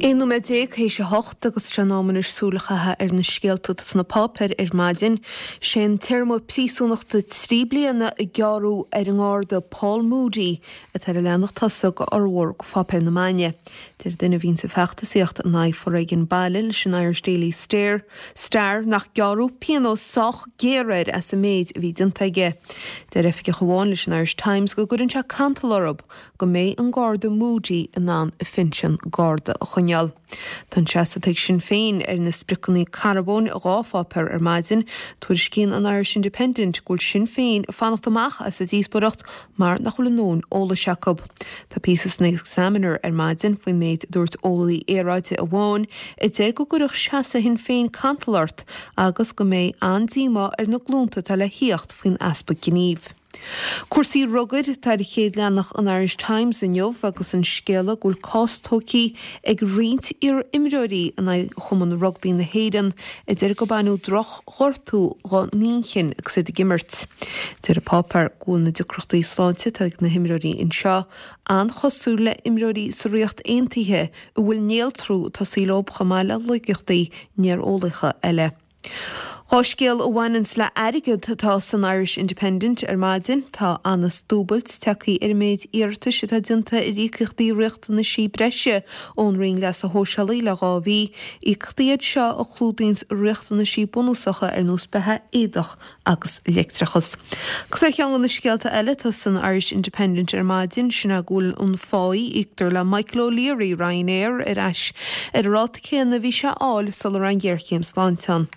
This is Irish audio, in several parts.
11 nóiméad théis a hocht agus sé an am anois súil a chaitheamh ar na scéalta atá sna páipéir ar maidin. Sé an téarma príosúnachta 3 bliana a gearradh ar an nGarda Paul Moody atá ar an leathanach tosaigh de fhormhór de pháipéir na maidine. Deir duine a bhíonns ag feachtasaíocht in aghaidh foréigean baile leis an Irish Daily Star Star nach gearradh pionós sách géar air as an méid a bhí déanta aige. Deir oifigeach amháin leis an Irish Times go gcuireann sé cantal orthu go mbeidh an Garda Moody in ann a phinsean Garda a choinneáil. Tá an seasamh atá ag Sinn Féin ar na spriocanna carbóin i 2 pháipéar ar maidin. Tuairiscíonn an Irish Independent go bhfuil Sinn Féin ag fanacht amach as an díospóireacht mar nach bhfuil a ndóthain eolais acu. Tá píosa san Examiner ar maidin faoin méid a dúirt eolaí aeráide amháin a deir go gcuirfeadh seasamh Shinn Féin cantal ort agus go mbeidh an-díomá ar na glúnta atá le thíocht faoin easpa gnímh. Cúrsaí rugair atá ar chéad leathanach an Irish Times inniu agus an scéala go bhfuil cás tógtha ag roinnt iar-imreoirí in aghaidh Chumann Rugbaí na hÉireann a deir gur baineadh droch-ghortú dá n-inchinn agus iad ag imirt. Deir an páipéar go bhfuil na deacrachtaí sláinte atá ag na himreoirí anseo an-chosúil le imreoirí sa Ríocht Aontaithe a bhfuil néaltrú ag tosaí leo chomh maith le laigeachtaí néareolaíocha eile. 2 scéal a bhaineanns le airgead atá san Irish Independent ar maidin. Tá anas dúbailt tagtha ar an méid iarratais atá déanta ar íocaíochtaí riachtanaisí breise ón Roinn Leasa Shóisialaigh le 2 mhí. Íocaíochtaí iad seo a chlúdaíonns riachtanaisí bunúsacha ar nós beatha, éadach agus leictreachas. Agus ar cheann de na scéalta eile atá san Irish Independent ar maidin, sin é go bhfuil an pháí a íoctar le Michael O'Leary, Ryanair, ar ais ar an ráta céanna a bhí sé a fháil sula raibh an ghéarchéim sláinte ann.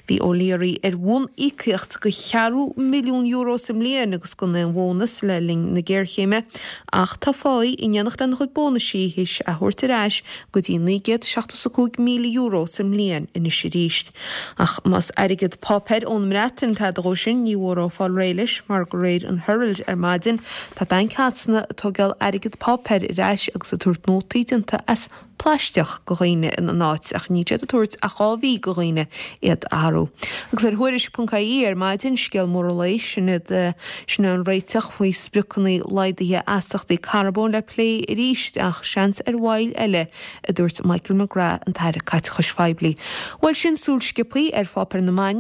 Bhí O'Leary ar bhun-íocaíocht de cheathrú milliún euro sa mbliain agus gan aon bhónas le linn na géarchéime ach tá a pháí in éineacht lena chuid bónaisí théis a thabhairt ar ais go dtí €975,000 sa mbliain anois arís. Ach más airgead páipéir ón mBreatain tada dhó sin, ní mhór dhó fáil réidh leis, mar de réir an Herald ar maidin, tá Banc Shasana ag tógáil airgead páipéir ar ais agus ag tabhairt nótaí déanta as plaisteach go dhaoine ina n-áit, ach níl siad ag tabhairt ach 2 mhí go dhaoine iad a athrú. Agus ar Thuairisc.ie ar maidin, scéal mór an lae, sin iad, sin é an réiteach faoi spriocanna laghdaithe astaíochtaí carbóin le plé arís, ach seans ar mhoill eile a dúirt Michael McGrath, an tAire Caiteachais Phoiblí. Bhuel, sin súil sciobtha ar pháipéir na maidine.